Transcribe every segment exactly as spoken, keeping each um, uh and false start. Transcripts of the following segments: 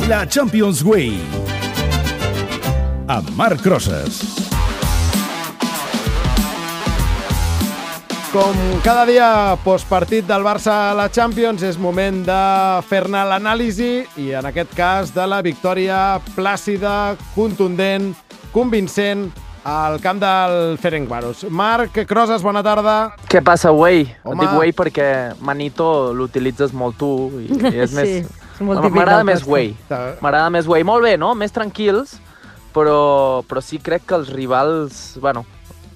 La Champions Way amb Marc Crosas. Com cada dia postpartit del Barça a la Champions, és moment de fer-ne l'anàlisi i en aquest cas de la victòria plàcida, contundent, convincent al camp del Ferencváros. Marc Crosas, bona tarda. Què passa, Way? Home. Et dic Way perquè Manito l'utilitzes molt tu i és Sí, més... és molt típic M'agrada del més Costa. Way. M'agrada més Way. Molt bé, no? Més tranquils, però, però sí crec que els rivals... Bueno,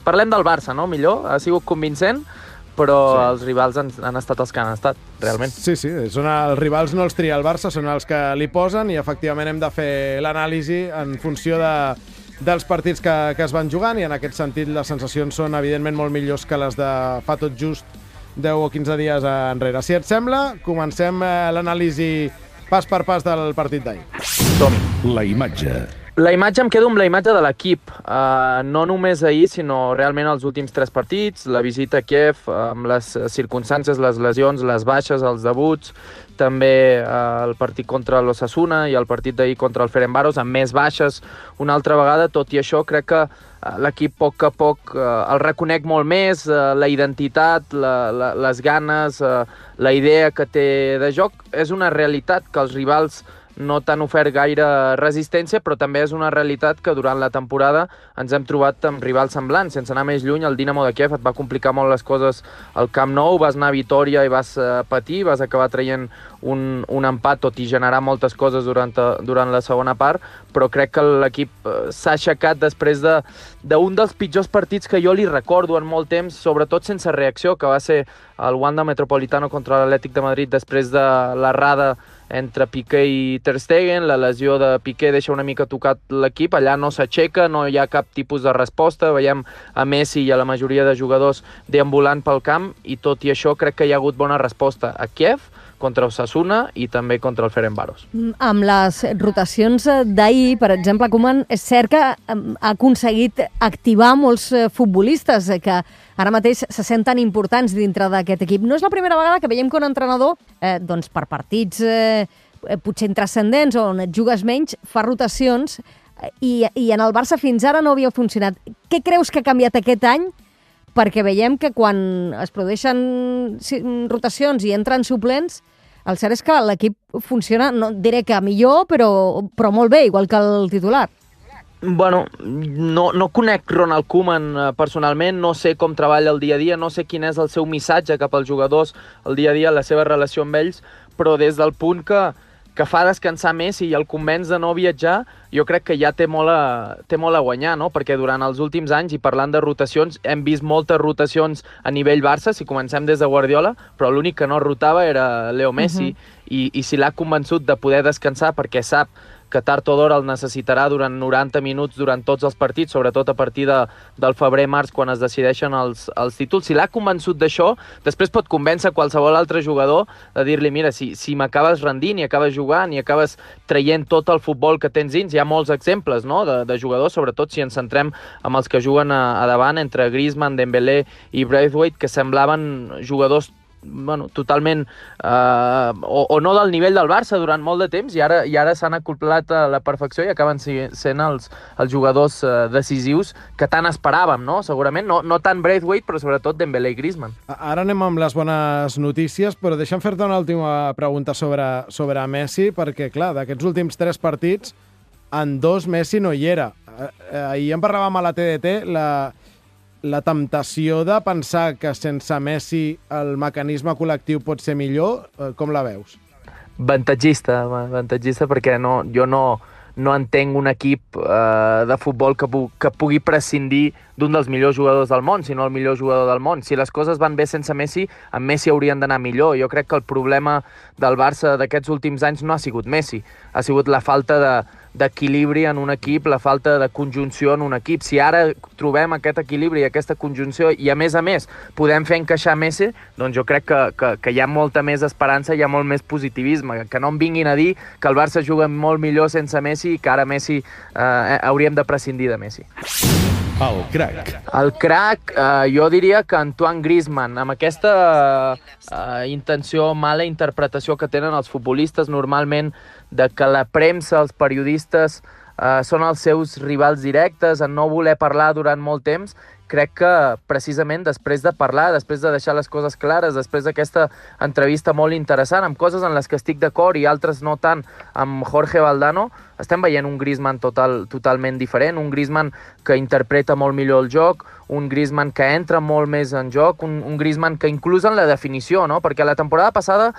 parlem del Barça, no? Millor. Ha sigut convincent, però sí. Els rivals han, han estat els que han estat, realment. Sí, sí, són els rivals no els tria el Barça, són els que li posen i efectivament hem de fer l'anàlisi en funció de, dels partits que, que es van jugant i en aquest sentit les sensacions són evidentment molt millors que les de fa tot just deu o quinze dies enrere. Si et sembla, comencem l'anàlisi pas per pas del partit d'ahir. Som-hi. La imatge. La imatge, em quedo amb la imatge de l'equip, uh, no només ahir, sinó realment els últims tres partits, la visita a Kiev, amb les circumstàncies, les lesions, les baixes, els debuts, també uh, el partit contra l'Osasuna i el partit d'ahir contra el Ferencváros, amb més baixes una altra vegada. Tot i això, crec que uh, l'equip a poc a poc uh, el reconec molt més, uh, la identitat, la, la, les ganes, uh, la idea que té de joc. És una realitat que els rivals no t'han ofert gaire resistència, però també és una realitat que durant la temporada ens hem trobat amb rivals semblants. Sense anar més lluny, el Dinamo de Kiev et va complicar molt les coses al Camp Nou, vas anar a Vitòria i vas uh, patir, vas acabar traient un, un empat, tot i generar moltes coses durant, durant la segona part, però crec que l'equip uh, s'ha aixecat després de d'un dels pitjors partits que jo li recordo en molt temps, sobretot sense reacció, que va ser el Wanda Metropolitano contra l'Atlètic de Madrid després de l'errada entre Piqué i Ter Stegen. La lesió de Piqué deixa una mica tocat l'equip, allà no s'aixeca, no hi ha cap tipus de resposta, veiem a Messi i a la majoria de jugadors deambulant pel camp i tot i això crec que hi ha hagut bona resposta a Kiev, contra Osasuna i també contra el Ferencváros. Amb les rotacions d'ahir, per exemple, Koeman, és cert que ha aconseguit activar molts futbolistes que ara mateix se senten importants dintre d'aquest equip. No és la primera vegada que veiem que un entrenador, eh, doncs per partits eh, potser intrascendents on et jugues menys, fa rotacions i, i en el Barça fins ara no havia funcionat. Què creus que ha canviat aquest any? Perquè veiem que quan es produeixen rotacions i entren suplents, el cert és que l'equip funciona, no diré que millor, però, però molt bé, igual que el titular. Bueno, no, no conec Ronald Koeman personalment, no sé com treballa el dia a dia, no sé quin és el seu missatge cap als jugadors el dia a dia, la seva relació amb ells, però des del punt que, que fa descansar Messi i el convenç de no viatjar, jo crec que ja té molt a, té molt a guanyar, no? Perquè durant els últims anys, i parlant de rotacions, hem vist moltes rotacions a nivell Barça, si comencem des de Guardiola, però l'únic que no rotava era Leo Messi, uh-huh. i, i si l'ha convençut de poder descansar perquè sap que tard o d'hora el necessitarà durant noranta minuts durant tots els partits, sobretot a partir de, del febrer-març, quan es decideixen els, els títols. Si l'ha convençut d'això, després pot convèncer qualsevol altre jugador de dir-li, mira, si, si m'acabes rendint i acabes jugant i acabes traient tot el futbol que tens dins, hi ha molts exemples, no?, de, de jugadors, sobretot si ens centrem amb els que juguen a, a davant, entre Griezmann, Dembélé i Braithwaite, que semblaven jugadors bueno, totalment eh, o, o no del nivell del Barça durant molt de temps i ara, i ara s'han acoplat a la perfecció i acaben sent els, els jugadors eh, decisius que tant esperàvem, no? Segurament, no, no tant Braithwaite, però sobretot Dembélé i Griezmann. Ara anem amb les bones notícies, però deixa'm fer-te una última pregunta sobre, sobre Messi, perquè, clar, d'aquests últims tres partits, en dos Messi no hi era. Ahir en parlàvem a la T D T, la... la temptació de pensar que sense Messi el mecanisme col·lectiu pot ser millor, com la veus? Avantatgista, avantatgista perquè no, jo no, no entenc un equip eh, de futbol que, pu que pugui prescindir d'un dels millors jugadors del món, si no el millor jugador del món. Si les coses van bé sense Messi, amb Messi haurien d'anar millor. Jo crec que el problema del Barça d'aquests últims anys no ha sigut Messi, ha sigut la falta de d'equilibri en un equip, la falta de conjunció en un equip. Si ara trobem aquest equilibri i aquesta conjunció i, a més a més, podem fer encaixar Messi, doncs jo crec que, que, que hi ha molta més esperança, hi ha molt més positivisme. Que no em vinguin a dir que el Barça juga molt millor sense Messi i que ara Messi eh, hauríem de prescindir de Messi. El crack. El crack, eh, jo diria que Antoine Griezmann, amb aquesta eh, intenció, mala interpretació que tenen els futbolistes normalment de que la premsa, els periodistes, eh, són els seus rivals directes, en no voler parlar durant molt temps, crec que precisament després de parlar, després de deixar les coses clares, després d'aquesta entrevista molt interessant, amb coses en les que estic d'acord i altres no tant, amb Jorge Valdano, estem veient un Griezmann total, totalment diferent, un Griezmann que interpreta molt millor el joc, un Griezmann que entra molt més en joc, un, un Griezmann que inclús en la definició, no? Perquè la temporada passada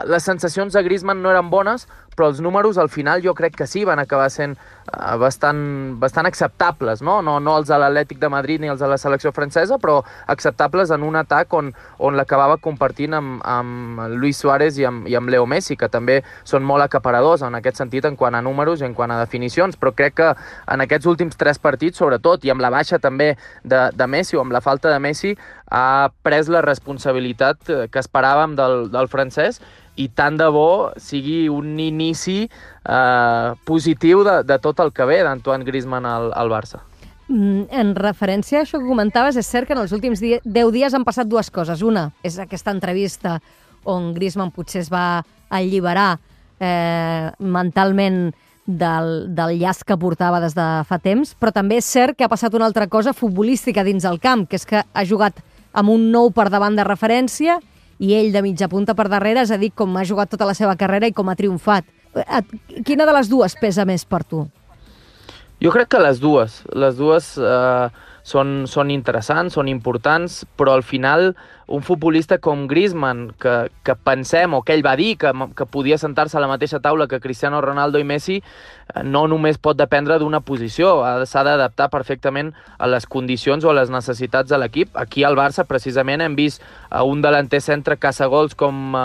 les sensacions de Griezmann no eren bones, però els números al final jo crec que sí van acabar sent uh, bastant, bastant acceptables, no? No, no els de l'Atlètic de Madrid ni els de la selecció francesa, però acceptables en un atac on, on l'acabava compartint amb, amb Luis Suárez i amb, i amb Leo Messi, que també són molt acaparadors en aquest sentit en quant a números i en quant a definicions, però crec que en aquests últims tres partits, sobretot, i amb la baixa també de, de Messi o amb la falta de Messi, ha pres la responsabilitat que esperàvem del, del francès i tant de bo sigui un inici eh, positiu de, de tot el que ve d'Antoine Griezmann al, al Barça. En referència a això que comentaves, és cert que en els últims deu dies han passat dues coses. Una és aquesta entrevista on Griezmann potser es va alliberar eh, mentalment del, del llaç que portava des de fa temps, però també és cert que ha passat una altra cosa futbolística dins el camp, que és que ha jugat amb un nou per davant de referència i ell de mitja punta per darrere, és a dir, com ha jugat tota la seva carrera i com ha triomfat. Quina de les dues pesa més per tu? Jo crec que les dues. Les dues eh, són, són interessants, són importants, però al final un futbolista com Griezmann, que, que pensem, o que ell va dir, que, que podia sentar-se a la mateixa taula que Cristiano Ronaldo i Messi, no només pot dependre d'una posició, s'ha d'adaptar perfectament a les condicions o a les necessitats de l'equip. Aquí al Barça, precisament, hem vist un delanter centre caçagols com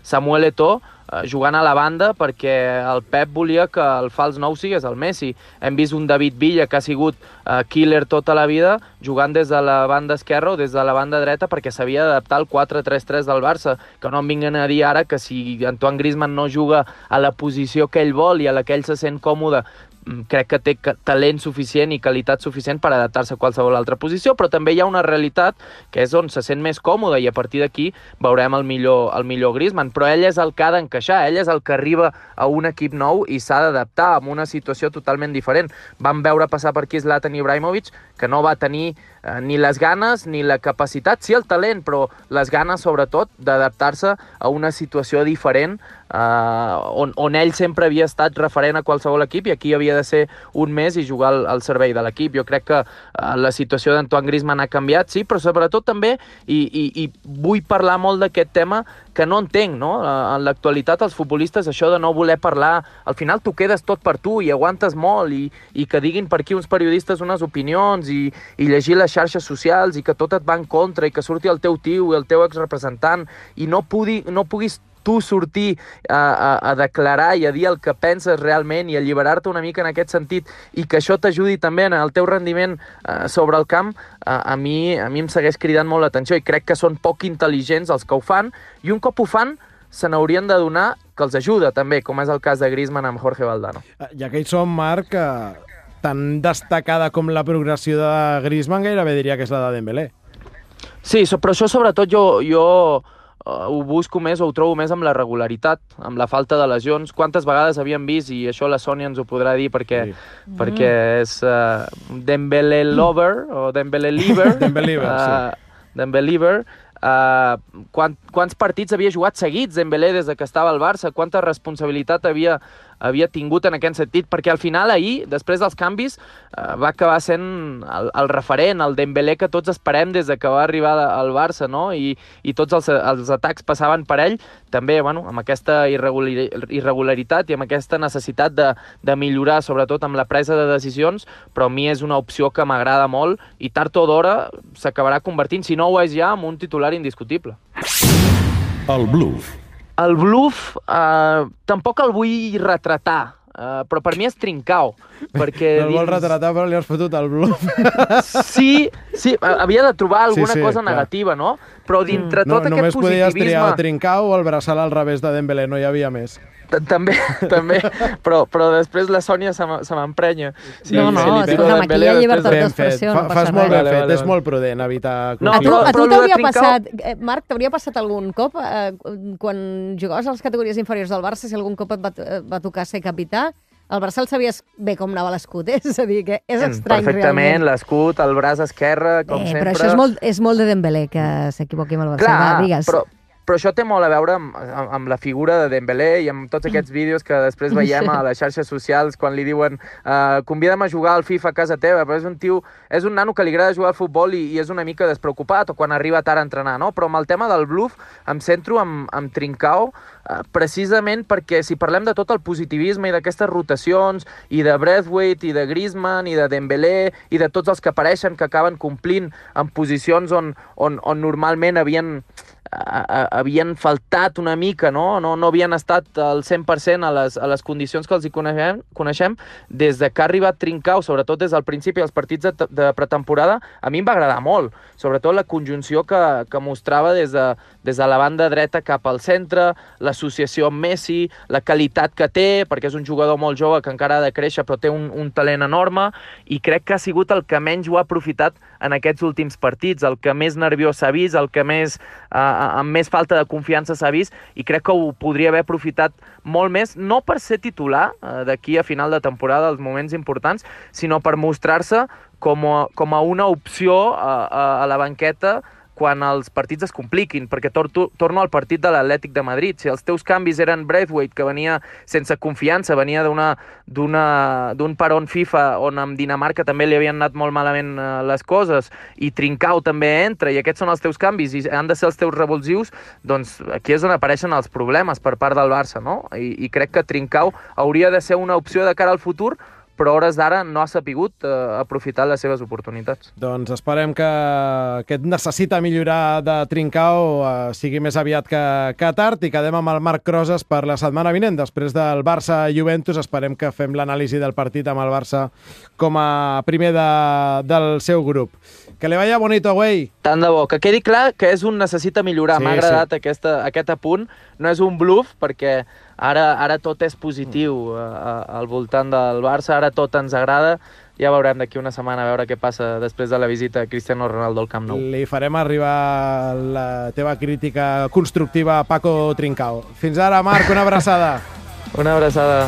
Samuel Eto'o, jugant a la banda perquè el Pep volia que el fals nou sigués el Messi. Hem vist un David Villa que ha sigut uh, killer tota la vida jugant des de la banda esquerra o des de la banda dreta perquè s'havia d'adaptar al quatre tres tres del Barça, que no em vinguin a dir ara que si Antoine Griezmann no juga a la posició que ell vol i a la que ell se sent còmode, crec que té talent suficient i qualitat suficient per adaptar-se a qualsevol altra posició, però també hi ha una realitat que és on se sent més còmode i a partir d'aquí veurem el millor, el millor Griezmann, però ell és el que ha d'encaixar, ell és el que arriba a un equip nou i s'ha d'adaptar a una situació totalment diferent. Vam veure passar per aquí Zlatan Ibrahimovic, que no va tenir eh, ni les ganes ni la capacitat, sí el talent, però les ganes sobretot d'adaptar-se a una situació diferent eh, on, on ell sempre havia estat referent a qualsevol equip i aquí havia de ser un mes i jugar al, al servei de l'equip. Jo crec que uh, la situació d'Antoine Griezmann ha canviat, sí, però sobretot també, i, i, i vull parlar molt d'aquest tema que no entenc, no? Uh, en l'actualitat els futbolistes això de no voler parlar, al final t'ho quedes tot per tu i aguantes molt i, i que diguin per aquí uns periodistes unes opinions i, i llegir les xarxes socials i que tot et va en contra i que surti el teu tio i el teu exrepresentant i no, pugui, no puguis tu sortir a, a, a declarar i a dir el que penses realment i alliberar-te una mica en aquest sentit i que això t'ajudi també en el teu rendiment eh, sobre el camp, eh, a, mi, a mi em segueix cridant molt l'atenció i crec que són poc intel·ligents els que ho fan i un cop ho fan se n'haurien de donar que els ajuda també, com és el cas de Griezmann amb Jorge Valdano. Ja que hi som, Marc, eh, tan destacada com la progressió de Griezmann gairebé diria que és la de Dembélé. Sí, però això sobretot jo... jo Uh, ho busco més o ho trobo més amb la regularitat, amb la falta de lesions. Quantes vegades havíem vist, i això la Sònia ens ho podrà dir perquè, sí. perquè és uh, Dembélé lover o Dembélé liver. Dembélé liver, uh, sí. Dembélé liver. Uh, quant, quants partits havia jugat seguits Dembélé des de que estava al Barça, quanta responsabilitat havia, havia tingut en aquest sentit, perquè al final ahir, després dels canvis, uh, va acabar sent el, el referent, el Dembélé que tots esperem des de que va arribar al Barça, no? I, i tots els, els atacs passaven per ell, també bueno, amb aquesta irregularitat i amb aquesta necessitat de, de millorar, sobretot amb la presa de decisions, però a mi és una opció que m'agrada molt i tard o d'hora s'acabarà convertint, si no ho és ja, en un titular indiscutible. El bluff. El bluff eh, tampoc el vull retratar, eh, però per mi és Trincao. Perquè no el vol dins... retratar, però li has fotut el bluff. Sí, sí, havia de trobar alguna sí, sí, cosa clar. negativa, no? Però dintre no, tot aquest positivisme... Només podies triar o Trincao o el braçal al revés de Dembélé, no hi havia més. També, també, però, però després la Sònia se m'emprenya. Sí, no, no, escolta'm, aquí hi ha llibertat d'expressió, no passa res. Fas molt ben vale, fet, vale, és molt prudent evitar... No, a tu, a tu t'hauria passat, eh, Marc, t'hauria passat algun cop, eh, quan jugaves a les categories inferiors del Barça, si algun cop et va, va tocar ser capità, el Barça el sabies bé com anava l'escut, eh? És a dir, que és estrany, perfectament, realment. l'escut, el braç esquerre, com eh, sempre... Però això és molt, és molt de Dembélé, que s'equivoqui amb el Barça. Clar, va, digues. però... Però això té molt a veure amb, amb, amb la figura de Dembélé i amb tots aquests vídeos que després veiem a les xarxes socials quan li diuen uh, convida'm a jugar al FIFA a casa teva, però és un tio, és un nano que li agrada jugar al futbol i, i és una mica despreocupat, o quan arriba tard a entrenar, no? Però amb el tema del bluff em centro amb, amb Trincao, uh, precisament perquè si parlem de tot el positivisme i d'aquestes rotacions, i de Braithwaite, i de Griezmann, i de Dembélé, i de tots els que apareixen que acaben complint en posicions on, on, on normalment havien... A, a, havien faltat una mica, no? No, no havien estat al cent per cent a les, a les condicions que els hi coneixem, coneixem. Des de que ha arribat Trincao, sobretot des del principi dels partits de, de pretemporada, a mi em va agradar molt, sobretot la conjunció que, que mostrava des de, des de la banda dreta cap al centre, l'associació amb Messi, la qualitat que té, perquè és un jugador molt jove que encara ha de créixer, però té un, un talent enorme, i crec que ha sigut el que menys ho ha aprofitat en aquests últims partits, el que més nerviós s'ha vist, el que més... Eh, amb més falta de confiança s'ha vist, i crec que ho podria haver aprofitat molt més, no per ser titular eh, d'aquí a final de temporada, als moments importants, sinó per mostrar-se com a, com a una opció a, a, a la banqueta quan els partits es compliquin, perquè tor torno al partit de l'Atlètic de Madrid. Si els teus canvis eren Braithwaite, que venia sense confiança, venia d'un peron FIFA on amb Dinamarca també li havien anat molt malament eh, les coses, i Trincao també entra, i aquests són els teus canvis, i han de ser els teus revulsius, doncs aquí és on apareixen els problemes per part del Barça, no? I, i crec que Trincao hauria de ser una opció de cara al futur, però a hores d'ara no ha sapigut eh, aprofitar les seves oportunitats. Doncs esperem que aquest necessita millorar de Trincao eh, sigui més aviat que, que tard, i quedem amb el Marc Crosas per la setmana vinent. Després del Barça-Juventus esperem que fem l'anàlisi del partit amb el Barça com a primer de, del seu grup. Que li vaya bonito, güey. Tant de bo. Que quedi clar que és un necessita millorar. Sí, m'ha agradat sí. aquesta, aquest apunt. No és un bluff, perquè ara, ara tot és positiu uh, al voltant del Barça, ara tot ens agrada. Ja veurem d'aquí una setmana a veure què passa després de la visita a Cristiano Ronaldo al Camp Nou. Li farem arribar la teva crítica constructiva a Paco Trincao. Fins ara, Marc, una abraçada. Una abraçada.